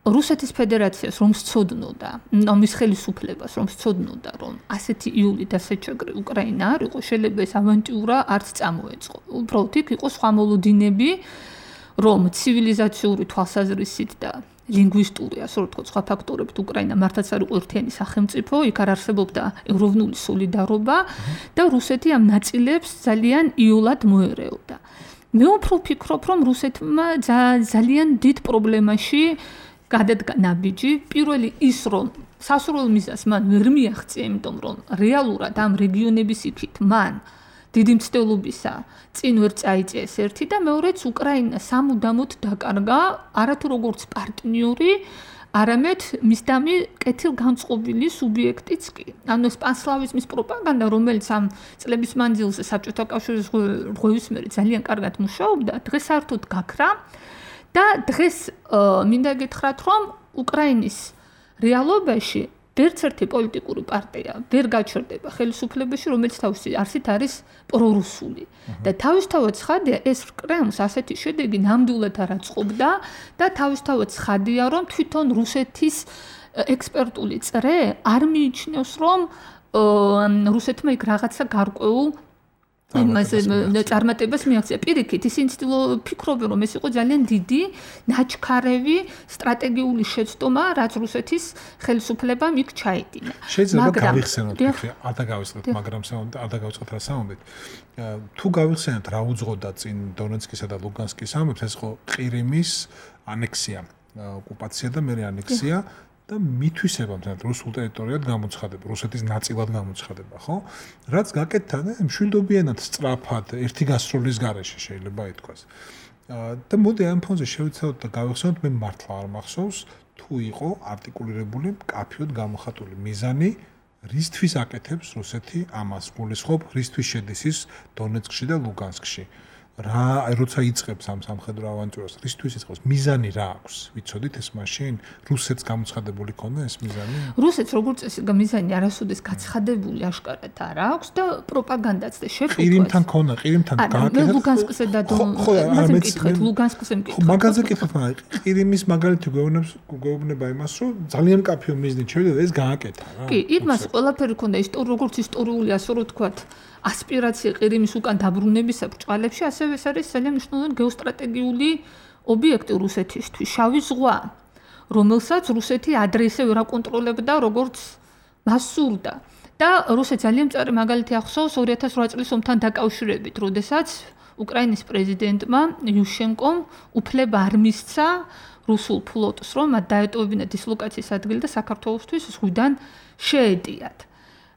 რუსეთის ფედერაციას რომ სწოდნოდა, მის ხელისუფლებას რომ სწოდნოდა, რომ ასეთი იული დასაჭაგრი უკრაინა არ იყო, შეიძლება ეს ავანტიურა არც წამოეწყო. უბრალოდ იქ იყო სხვა მოლოდინები, რომ ცივილიზაციური თვალსაზრისით და ლინგვისტური, ასე რომ ვთქვათ, სხვა ფაქტორებით უკრაინა მართლაც არ იყო ერთიანი სახელმწიფო, იქ არ არსებობდა ევროპული სოლიდარობა და რუსეთი ამ ნაწილებს ძალიან იოლად მოერეოდა. მე უფრო ვფიქრობ, რომ რუსეთმა ძალიან დიდ პრობლემაში გადადგა ნაბიჯი, პირველი ის რომ სასურველ მიზანს მან ვერ მიაღწია, იმიტომ რომ რეალურად ამ რეგიონების იქით მან დიდი მცდელობისა წინ ვერ წაიწეს ერთი და მეორეც უკრაინა სამუდამოდ დაკარგა არათუ როგორც პარტნიორი, არამედ მისდამი კეთილგანწყობილი სუბიექტიც კი. ანუ ეს პანსლავიზმის პროპაგანდა, რომელიც ამ წლების მანძილზე საბჭოთა კავშირის რღვევის მერე ძალიან კარგად მუშაობდა, დღეს საერთოდ გაქრა და დღეს მინდა გითხრათ, რომ უკრაინის რეალობაში ერთ-ერთი პოლიტიკური პარტია ვერ გაჩერდება ხელისუფლებაში, რომელიც თავისი არსით არის პრორუსული. და თავისთავად ცხადია, ეს კრემლს ასეთი შედეგი ნამდვილად არ აწყობდა და თავისთავად ცხადია, რომ თვითონ რუსეთის ექსპერტული წრე არ მიიჩნევს, რომ რუსეთმა იქ რაღაცა გარკვეულ იმაზე წარმატებას მიაღწია. პირიქით, ისინი ფიქრობენ, რომ ეს იყო ძალიან დიდი, ნაჩქარევი სტრატეგიული შეცდომა, რაც რუსეთის ხელისუფლებამ იქ ჩაედინა. შეიძლება გავიხსენოთ, ფიქრი, არ დაგავიწყდეთ, მაგრამ არ დაგავიწყოთ რა სამომეთ. თუ გავიხსენოთ რა უძღოდა წინ დონეცკისა და ლუგანსკის ამბებს, ეს იყო ყირიმის ანექსია, ოკუპაცია და მეორე ანექსია. და მითვისება მთლად რუსულ ტერიტორიად გამოცხადება, რუსეთის ნაწილად გამოცხადება, ხო? რაც გაკეთდა და მშვიდობიანად სწრაფად ერთი გასროლის გარეშე შეიძლება ითქვას. და მოდი ამ ფონზე შევიცავთ და გავიხსენოთ, მე მართლა არ მახსოვს, თუ იყო არტიკულირებული მკაფიოდ გამოხატული მიზანი, რისთვის აკეთებს რუსეთი ამას, გულისხმობ, რისთვის შედის ის დონეცკში და ლუგანსკში. რა, როცა იწყებს ამ სამხედრო ავანტიურას, რისთვის იწყებს? მიზანი რა აქვს? ვიცოდით ეს მაშინ? რუსეთს გამოცხადებული ქონდა ეს მიზანი? რუსეთს როგორც წესი მიზანი არასოდეს გაცხადებული აშკარად არ აქვს და პროპაგანდაც და შეფუთვას. ყირიმთან ქონდა, ყირიმთან გააკეთა. ლუგანსკზე და დონეცკზე, ლუგანსკზე მკითხეთ. მაგაზე კითხეთ, მაგრამ ყირიმის მაგალითი გვეუბნებს, გვეუბნება იმას, რომ ძალიან მკაფიო მიზნით შევიდა ეს გააკეთა რა. კი, იმას ყველაფერი ქონდა ისტორიულ, როგორც ისტორიული, ასე რომ ვთქვათ, ასპირაცია ყირიმის უკან დაბრუნებისა ბრჭყალებში, ასევე ეს არის ძალიან მნიშვნელოვანი გეოსტრატეგიული ობიექტი რუსეთისთვის, შავი ზღვა, რომელსაც რუსეთი ადრესე ვერ აკონტროლებდა, როგორც მას სურდა. და რუსეთს ძალიან მწარე მაგალითი ახსოვს ორი ათას ოთხ წლის ომთან დაკავშირებით, როდესაც უკრაინის პრეზიდენტმა იუშენკომ უფლება არ მისცა რუსულ ფლოტს, რომ მათ დაეტოვებინა დისლოკაციის ადგილი და საქართველოსთვის ზღვიდან შეედიათ.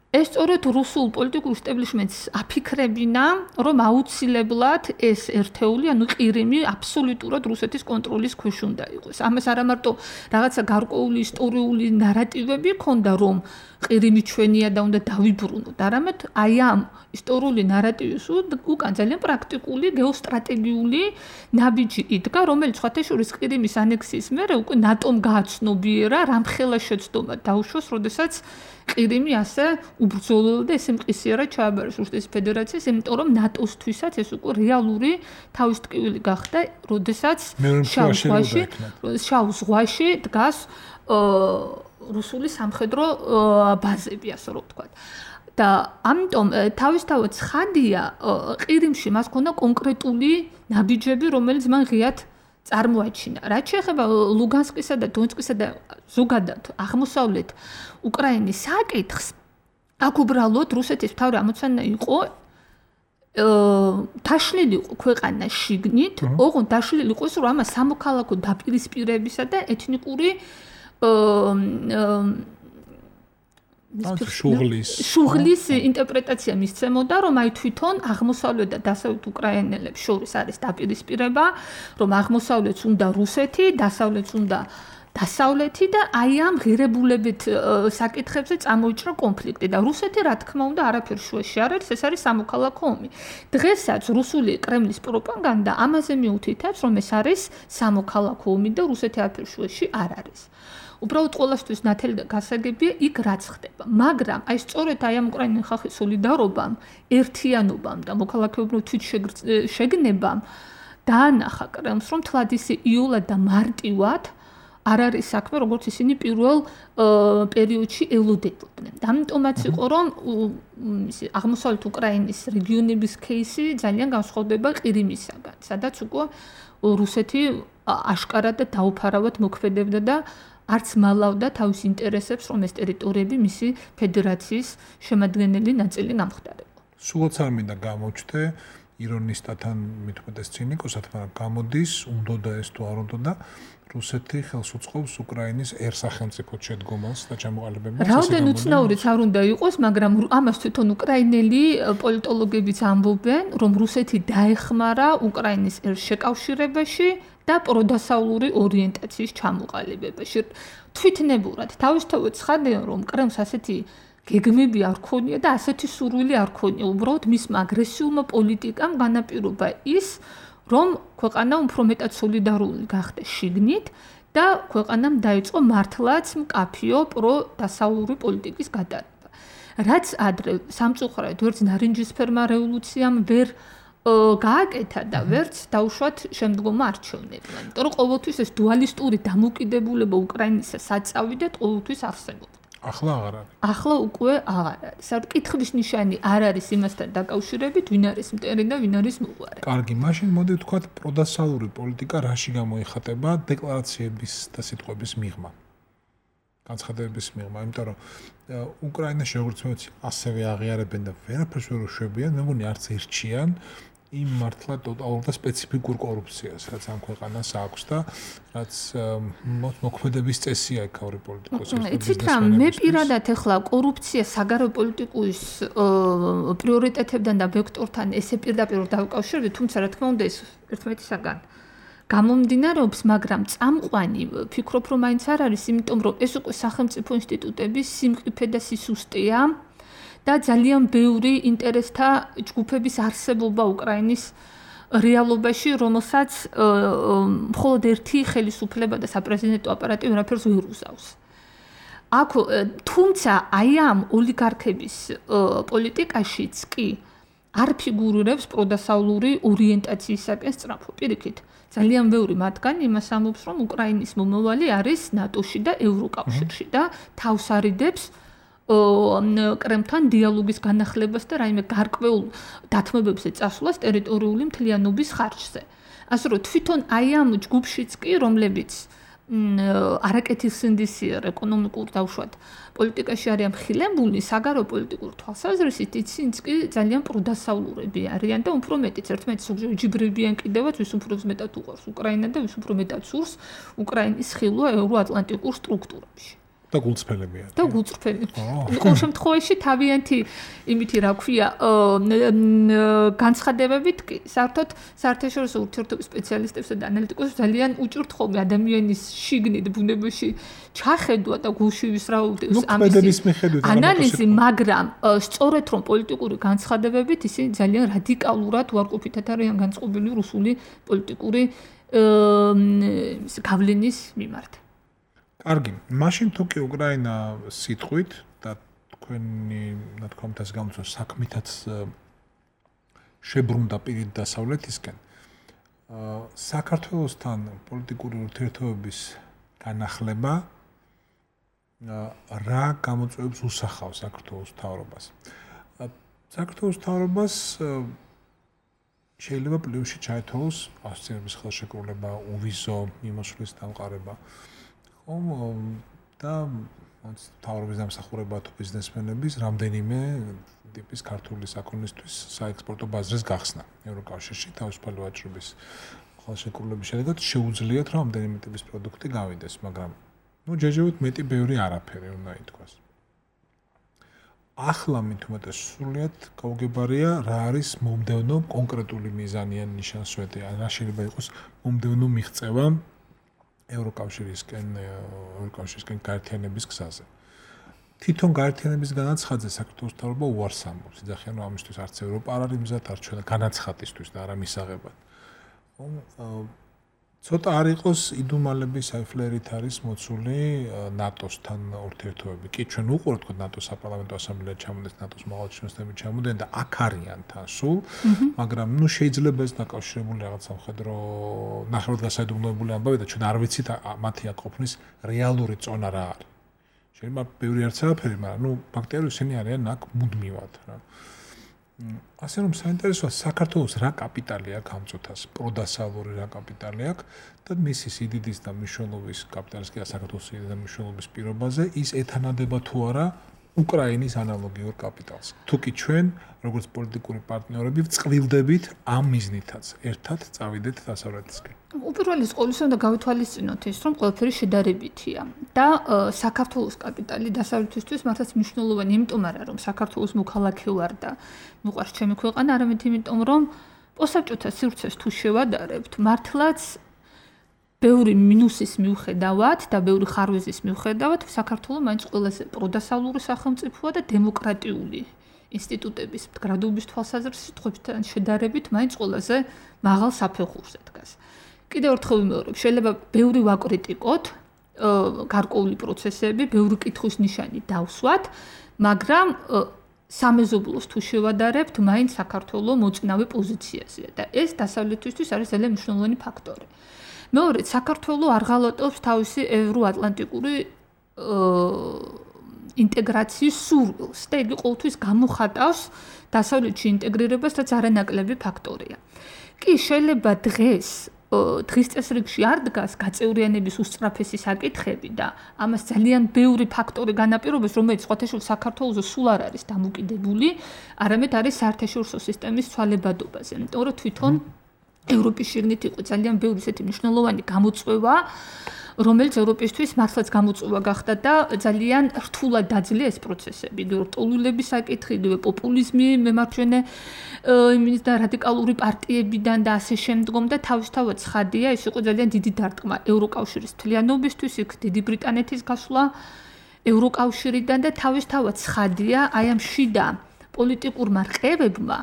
ეს სწორედ რუსულ პოლიტიკურ სტებლიშმენტს აფიქრებინა, რომ აუცილებლად ეს ერთეული, ანუ ყირიმი აბსოლუტურად რუსეთის კონტროლის ქვეშ უნდა იყოს. ამას არა მარტო რაღაცა გარკვეული ისტორიული ნარატივები ქონდა, რომ ყირიმი ჩვენია და უნდა დავიბრუნოთ, არამედ აი ამ ისტორიული ნარატივის უკან ძალიან პრაქტიკული გეოსტრატეგიული ნაბიჯი იდგა, რომელიც სხვათა შორის ყირიმის ანექსიის მერე უკვე ნატომ გააცნობიერა, რამხელა შეცდომა დაუშვოს, როდესაც ყირიმი ასე უბრძოლოდა და ესე მყისიერად ჩააბარეს რუსეთის ფედერაციას, იმიტომ რომ ნატოსთვისაც ეს უკვე რეალური თავის ტკივილი გახდა, როდესაც შავ ზღვაში, შავ ზღვაში დგას რუსული სამხედრო ბაზები, ასე რომ ვთქვათ. და ამიტომ თავისთავად ცხადია, ყირიმში მას ქონდა კონკრეტული ნაბიჯები, რომელიც მან ღიად წარმოაჩინა. რაც შეეხება ლუგანსკისა და დონეცკისა და ზოგადად აღმოსავლეთ უკრაინის საკითხს, აქ უბრალოდ რუსეთის მთავარი ამოცანა იყო დაშლილი იყო ქვეყანა შიგნით, ოღონდ დაშლილი იყო ის, რომ ამას სამოქალაქო დაპირისპირებისა და ეთნიკური შუღლის შუღლის ინტერპრეტაცია მისცემოდა, რომ აი თვითონ აღმოსავლეთ და დასავლეთ უკრაინელებს შორის არის დაპირისპირება, რომ აღმოსავლეთს უნდა რუსეთი, დასავლეთს უნდა დასავლეთი და აი ამ ღირებულებით საკითხებზე წამოიჭრა კონფლიქტი და რუსეთი რა თქმა უნდა არაფერ შუაში არ არის, ეს არის სამოქალაქო ომი. დღესაც რუსული კრემლის პროპაგანდა ამაზე მიუთითებს, რომ ეს არის სამოქალაქო ომი და რუსეთი არაფერ შუაში არ არის. უბრალოდ ყოველთვის ნათელი და გასაგებია იქ რაც ხდება. მაგრამ აი სწორედ აი ამ უკრაინული ხალხის სოლიდარობამ, ერთიანობამ და მოქალაქეობრივ თვითშეგნებამ დაანახა კრემლს, რომ თლად ისე იოლად და მარტივად არ არის საქმე, როგორც ისინი პირველ პერიოდში ელოდებოდნენ. და ამიტომაც იყო, რომ აღმოსავლეთ უკრაინის რეგიონების кейსი ძალიან განსხვავდება ყირიმისაგან, სადაც უკვე რუსეთი აშკარად და დაუფარავად მოქმედებდა და არც მალავდა თავის ინტერესებს, რომ ეს ტერიტორიები მისი ფედერაციის შემადგენელი ნაწილი გამხდარიყო. სულაც არ მინდა გამოჩნდე ირონისტათან მithumetes ცინიკოსად, მაგრამ გამოდის, უნდა და ეს თუ არ უნდა და რუსეთი ხელს უწყობს უკრაინის ერთ-სახელმწიფოდ შედგომას და ჩამოყალიბებას. რაოდენ უცნაურიც არ უნდა იყოს, მაგრამ ამას თვითონ უკრაინელი პოლიტოლოგებიც ამბობენ, რომ რუსეთი დაეხმარა უკრაინის ერთ-შეკავშირებაში და პროდასავლური ორიენტაციის ჩამოყალიბებაში. თვითნებურად თავისთავად ცხადია, რომ კრემლს ასეთი გეგმები არ ქონია და ასეთი სურვილი არ ქონია. უბრალოდ მისმა აგრესიულმა პოლიტიკამ განაპირობა ის, რომ ქვეყანა უფრო მეტად სოლიდარული გახდა შიგნით და ქვეყანამ დაიწყო მართლაც მკაფიო პროდასავლური პოლიტიკის გატარება. რაც ადრე სამწუხაროდ ვერც ნარინჯისფერმა რევოლუციამ ვერ გააკეთა და ვერც დაუშვათ შემდგომ არჩევნებმა. იმიტომ რომ ყოველთვის ეს დუალისტური დამოკიდებულება უკრაინისა საწავიდად ყოველთვის არსებობდა. ახლა აღარ არის. ახლა უკვე აღარ არის. საერთოდ კითხვის ნიშანი არ არის იმასთან დაკავშირებით, ვინ არის მტერი და ვინ არის მოყვარე. კარგი, მაშინ მოდი ვთქვათ, პროდასავლური პოლიტიკა რაში გამოიხატება დეკლარაციების და სიტყვების მიღმა. განცხადებების მიღმა, იმიტომ რომ უკრაინაში როგორც მე ვიცი, ასევე აღიარებენ და ვერაფერს ვერ უშვებიან, მე მგონი არც ერჩიან იმ მართლა ტოტალურ და სპეციფიკურ კორუფციას, რაც ამ ქვეყანას აქვს და რაც მოქმედების წესია ეკავრი პოლიტიკოსების. იცით რა, მე პირადად ახლა კორუფცია საგარეო პოლიტიკის პრიორიტეტებთან და ვექტორთან ესე პირდაპირ დავკავშირებ, თუმცა რა თქმა უნდა ეს ერთმანეთისაგან გამომდინარეობს, მაგრამ წამყვანი ვფიქრობ, რომ მაინც არ არის, იმიტომ რომ ეს უკვე სახელმწიფო ინსტიტუტების სიმყიფე და სისუსტეა. და ძალიან ბევრი ინტერესთა ჯგუფების არსებობა უკრაინის რეალობაში, რომელსაც მხოლოდ ერთი ხელისუფლება და საპრეზიდენტო აპარატი ვერაფერს ვერ უზავს. აქ თუმცა აი ამ ოლიგარქების პოლიტიკაშიც კი არ ფიგურირებს პროდასავლური ორიენტაციისაკენ სწრაფო. პირიქით, ძალიან ბევრი მათგანი იმას ამბობს, რომ უკრაინის მომავალი არის ნატოში და ევროკავშირში და თავს არიდებს კრემლთან დიალოგის განახლებას და რაიმე გარკვეულ დათმობებზე წასვლას ტერიტორიული მთლიანობის ხარჯზე. ასე რომ თვითონ აი ამ ჯგუფშიც კი, რომლებიც არაკეთილსინდისიერ ეკონომიკურ დავშვათ პოლიტიკაში არიან მხილებული, საგარეო პოლიტიკურ თვალსაზრისით ისინიც კი ძალიან პროდასავლურები არიან და უფრო მეტიც ერთმანეთს უჯიბრებიან კიდევაც, ვის უფრო მეტად უყვარს უკრაინა და ვის უფრო მეტად სურს უკრაინის ხილვა ევროატლანტიკურ სტრუქტურებში. და გულწრფელებია. და გულწრფელი. ყოველ შემთხვევაში თავიანთი იმითი რა ქვია, განცხადებებით კი საერთოდ საერთაშორისო ურთიერთობის სპეციალისტებსა და ანალიტიკოსებს ძალიან უჭირთ ხოლმე ადამიანის შიგნით ბუნებაში ჩახედვა და გულში ვისრაუდეს ამის ანალიზი, მაგრამ სწორედ რომ პოლიტიკური განცხადებებით ისინი ძალიან რადიკალურად უარყოფითად არიან განწყობილი რუსული პოლიტიკური გავლენის მიმართ. კარგი, მაშინ თუ კი უკრაინა სიტყვით და თქვენი ნათქვამთაც გამოწვევ საქმითაც შებრუნდა პირით დასავლეთისკენ, საქართველოსთან პოლიტიკური ურთიერთობების განახლება რა გამოწვევებს უსახავს საქართველოს მთავრობას. საქართველოს მთავრობას შეიძლება პლუსში ჩაეთვალოს ავსტრიების ხელშეკრულება, უვიზო მიმოსვლის დამყარება. და თავრობის დამსახურება თუ ბიზნესმენების რამდენიმე ტიპის ქართული საქონლისთვის საექსპორტო ბაზრის გახსნა ევროკავშირში თავისუფალი ვაჭრობის ხელშეკრულების შედეგად შეუძლიათ რომ რამდენიმე ტიპის პროდუქტი გავიდეს, მაგრამ ნუ ჯეჯევით მეტი ბევრი არაფერი უნდა ითქვას. ახლა მithumetes სრულიად გაუგებარია რა არის მომდევნო კონკრეტული მიზანი ან ნიშანსვეტი, რა შეიძლება იყოს მომდევნო მიღწევა ევროკავშირისკენ ევროკავშირისკენ გაერთიანების გზაზე. თვითონ გაერთიანების განაცხადზე საქართველოს მთავრობა უარს ამბობს. იძახიან, რომ ამისთვის არც ევროპა არ არის მზად, არც ჩვენ განაცხადისთვის და არა მისაღებად. ცოტა არ იყოს იდუმალების აიფლერით არის მოცული ნატოსთან ურთიერთობები. კი, ჩვენ უყურებთ თქო ნატოს საპარლამენტო ასამბლეა ჩამოდეს, ნატოს მაღალჩინოსნები ჩამოდიან და აქ არიან თან სულ, მაგრამ ნუ შეიძლება ეს დაკავშირებული რაღაც სამხედრო ნახევარგასაიდუმლოებული ამბავი და ჩვენ არ ვიცით მათი აქ ყოფნის რეალური წონა რა არის. შეიძლება ბევრი არც არაფერი, მაგრამ ნუ ფაქტია ისინი არიან აქ მუდმივად რა. ასე რომ საინტერესოა საქართველოს რა კაპიტალი აქვს ამწუთას, პროდასალური რა კაპიტალი აქვს და მისი სიდიდის და მნიშვნელობის კაპიტალის კი საქართველოს სიდიდის და მნიშვნელობის პირობაზე ის ეთანადება თუ არა უკრაინის ანალოგიურ კაპიტალს. თუ კი ჩვენ როგორც პოლიტიკური პარტნიორები ვწყვილდებით ამ მიზნითაც ერთად წავიდეთ დასავლეთისკენ. უპირველეს ყოვლისა უნდა გავითვალისწინოთ ის, რომ ყველაფერი შედარებითია და საქართველოს კაპიტალი დასავლეთისთვის მართლაც მნიშვნელოვანი, იმიტომ არა რომ საქართველოს მოქალაქე ვარ და მიყვარს ჩემი ქვეყანა, არამედ იმიტომ რომ პოსტსაბჭოთა სივრცეს თუ შევადარებთ, მართლაც ბევრი მინუსის მიუხედავად და ბევრი ხარვეზის მიუხედავად საქართველოს მაინც ყველაზე პროდასავლური სახელმწიფოა და დემოკრატიული ინსტიტუტების მდგრადობის თვალსაზრისით ხვებთან შედარებით მაინც ყველაზე მაღალ საფეხურზე დგას. კიდევ ერთხელ ვიმეორებ, შეიძლება ბევრი ვაკრიტიკოთ გარკვეული პროცესები, ბევრი კითხვის ნიშანი დავსვათ, მაგრამ სამეზობლოს თუ შევადარებთ, მაინც საქართველოს მოწინავე პოზიციაზეა და ეს დასავლეთისთვის არის ძალიან მნიშვნელოვანი ფაქტორი. მეორე, საქართველოს არ ღალატობს თავისი ევროატლანტიკური ინტეგრაციის სურვილს და იგი ყოველთვის გამოხატავს დასავლეთში ინტეგრირებას, რაც არანაკლები ფაქტორია. კი, შეიძლება დღეს დღის წესრიგში არ დგას გაწევრიანების უსწრაფესი საკითხები და ამას ძალიან ბევრი ფაქტორი განაპირობებს, რომელიც სხვათა შორის საქართველოს სულ არ არის დამოკიდებული, არამედ არის საერთაშორისო სისტემის ცვალებადობაზე. იმიტომ რომ თვითონ ევროპის შიგნით იყო ძალიან ბევრი ისეთი მნიშვნელოვანი გამოწვევა, რომელიც ევროპისთვის მართლაც გამოწვევა გახდა და ძალიან რთულად დაძლია ეს პროცესები. რტოლულების საკითხი, პოპულიზმი, მემარჯვენე იმის და რადიკალური პარტიებიდან და ასე შემდგომ და თავისთავად ცხადია, ეს იყო ძალიან დიდი დარტყმა ევროკავშირის მთლიანობისთვის, იქ დიდი ბრიტანეთის გასვლა ევროკავშირიდან და თავისთავად ცხადია, აი ამ შიდა პოლიტიკურმა რყევებმა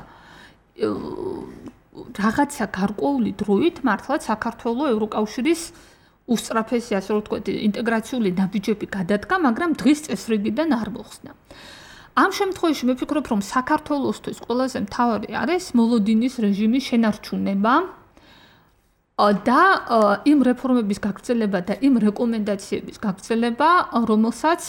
რაღაცა გარკვეული დროით მართლაც საქართველოს ევროკავშირის უსწრაფესი, ასე რომ ვთქვათ, ინტეგრაციული ნაბიჯები გადადგა, მაგრამ დღის წესრიგიდან არ მოხსნა. ამ შემთხვევაში მე ვფიქრობ, რომ საქართველოსთვის ყველაზე მთავარი არის მოლოდინის რეჟიმის შენარჩუნება და იმ რეფორმების გაგრძელება და იმ რეკომენდაციების გაგრძელება, რომელსაც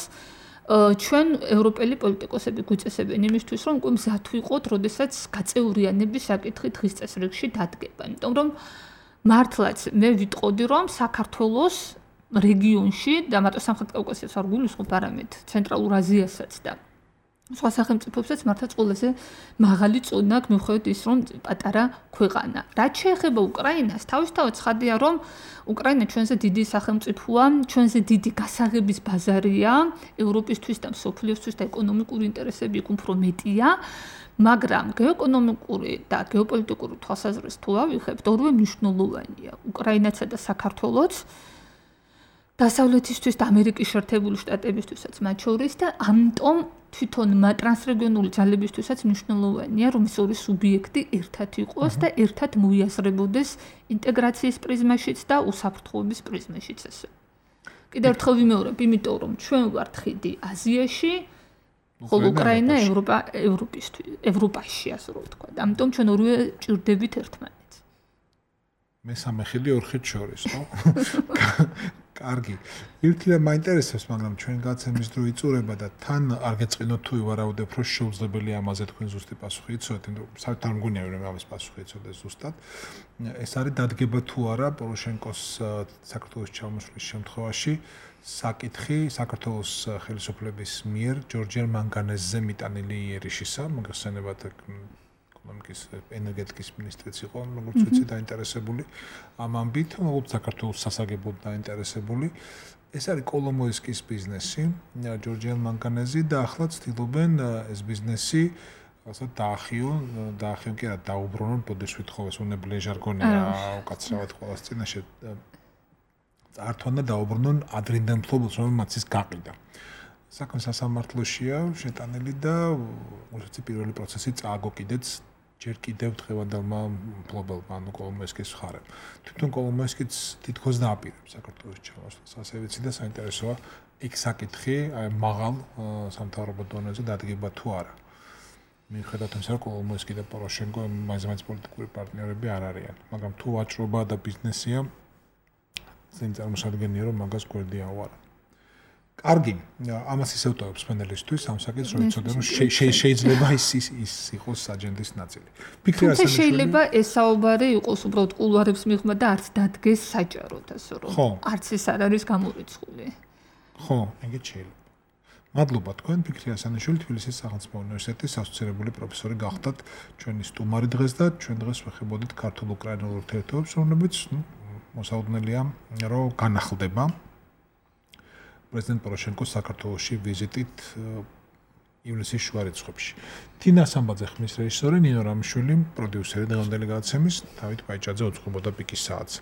ჩვენ ევროპელი პოლიტიკოსები გვიწესებენ იმისთვის, რომ უკვე მზად ვიყოთ, როდესაც გაწევრიანების საკითხი დღის წესრიგში დადგება. იმიტომ რომ მართლაც მე ვიტყოდი, რომ საქართველოს რეგიონში და მარტო სამხრეთ კავკასიას არ გულისხმობ, არამედ ცენტრალურ აზიასაც და სხვა სახელმწიფოებსაც მართლაც ყველაზე მაღალი წონა აქვს, მიუხედავად ის, რომ პატარა ქვეყანა. რაც შეეხება უკრაინას, თავისთავად ცხადია, რომ უკრაინა ჩვენზე დიდი სახელმწიფოა, ჩვენზე დიდი გასაღების ბაზარია, ევროპისთვის და მსოფლიოსთვის და ეკონომიკური ინტერესები იქ უფრო მეტია, მაგრამ გეოეკონომიკური და გეოპოლიტიკური თვალსაზრისით თუ ავიხებთ, ორივე მნიშვნელოვანია. უკრაინაცა და საქართველოც დასავლეთისთვის და ამერიკის შეერთებული შტატებისთვისაც მათ შორის და ამიტომ თვითონ ტრანსრეგიონული ძალებისთვისაც მნიშვნელოვანია, რომ ეს ორი სუბიექტი ერთად იყოს და ერთად მოიაზრებოდეს ინტეგრაციის პრიზმაშიც და უსაფრთხოების პრიზმაშიც ესე. კიდევ ერთხელ ვიმეორებ, იმიტომ რომ ჩვენ ვართ ხიდი აზიაში, ხოლო უკრაინა ევროპა ევროპისთვის, ევროპაში, ასე რომ ვთქვა. ამიტომ ჩვენ ორივე ჭირდებით ერთმანეთს. მესამე ხიდი ორ ხიდს შორის, ხო? კარგი. ერთიდან მაინტერესებს, მაგრამ ჩვენ გაცემის დრო იწურება და თან არ გეწყინოთ თუ ვარაუდებ, რომ შეუძლებელი ამაზე თქვენ ზუსტი პასუხი იცოდეთ, იმიტომ რომ საერთოდ არ მგონია რომ ამის პასუხი იცოდეს ზუსტად. ეს არის დადგება თუ არა პოროშენკოს საქართველოს ჩამოსვლის შემთხვევაში საკითხი საქართველოს ხელისუფლების მიერ ჯორჯერ მანგანეზზე მიტანილი იერიშისა, მოგეხსენებათ ეკონომიკის ენერგეტიკის ministrიც იყო, როგორც ვიცი, დაინტერესებული ამ ამბით, როგორც საქართველოს სასაგებლოდ დაინტერესებული. ეს არის კოლომოისკის ბიზნესი, ჯორჯერ მანგანეზი და ახლა ცდილობენ ეს ბიზნესი ასე დაახიონ, დაახიონ კი არა, დაუბრუნონ, ბოდიშ ვითხოვეს უნებლიე ჟარგონია, უკაცრავად ყოველს წინაშე წართვან და დაუბრუნონ ადრინდელ მფლობელს, რომელმაც ის გაყიდა. საქმე სასამართლოშია შეტანილი და უშეცი პირველი პროცესი წააგო კიდეც ჯერ კიდევ დღევანდელმა მფლობელმა, ანუ კოლომოისკის მხარემ. თვითონ კოლომოისკიც თითქოს დააპირებს საქართველოს ჩამოსვლას. ასე ვიცი და საინტერესოა იქ საკითხი, აი მაღალ სამთავრობო დონეზე დადგება თუ არა. მიუხედავად იმისა, რომ კოლომოისკი და პოროშენკო მაინც პოლიტიკური პარტნიორები არ არიან, მაგრამ თუ ვაჭრობა და ბიზნესია, წინ წარმოსადგენია, რომ მაგას გვერდია უარა. კარგი, ამას ისევ ტოვებს პენელისთვის ამ საკითხს, რომ იცოდე, რომ შეიძლება ის ის იყოს აჯენდის ნაწილი. ფიქრი ასე შეიძლება ეს საუბარი იყოს უბრალოდ კულუარებს მიღმა და არც დადგეს საჯაროდ, ასე რომ არც ეს არ არის გამორიცხული. ხო, ეგეც შეიძლება. მადლობა თქვენ, ფიქრი ასანიშვილი, თბილისის სახელმწიფო უნივერსიტეტის ასოცირებული პროფესორი გახდათ ჩვენი სტუმარი დღეს და ჩვენ დღეს ვეხებოდით ქართულ-უკრაინულ ურთიერთობებს, რომლებიც მოსაუდნელია, რომ განახლდება. პრეზიდენტ პოროშენკოს საქართველოში ვიზიტით ივლისის შუა რიცხვებში. თინა სამბაძე ხმის რეჟისორი, ნინო რამიშვილი, პროდიუსერი დღევანდელი გადაცემის, დავით პაიჭაძე უწყობოდა პიკის საათს.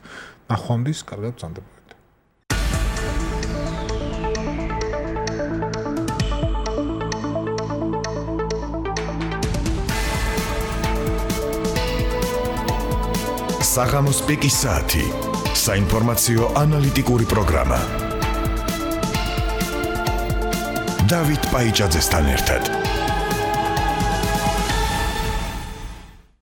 ნახვამდის, კარგად ბრძანდებოდეთ. საღამოს პიკის საათი. საინფორმაციო ანალიტიკური პროგრამა. დავით პაიჭაძესთან ერთად.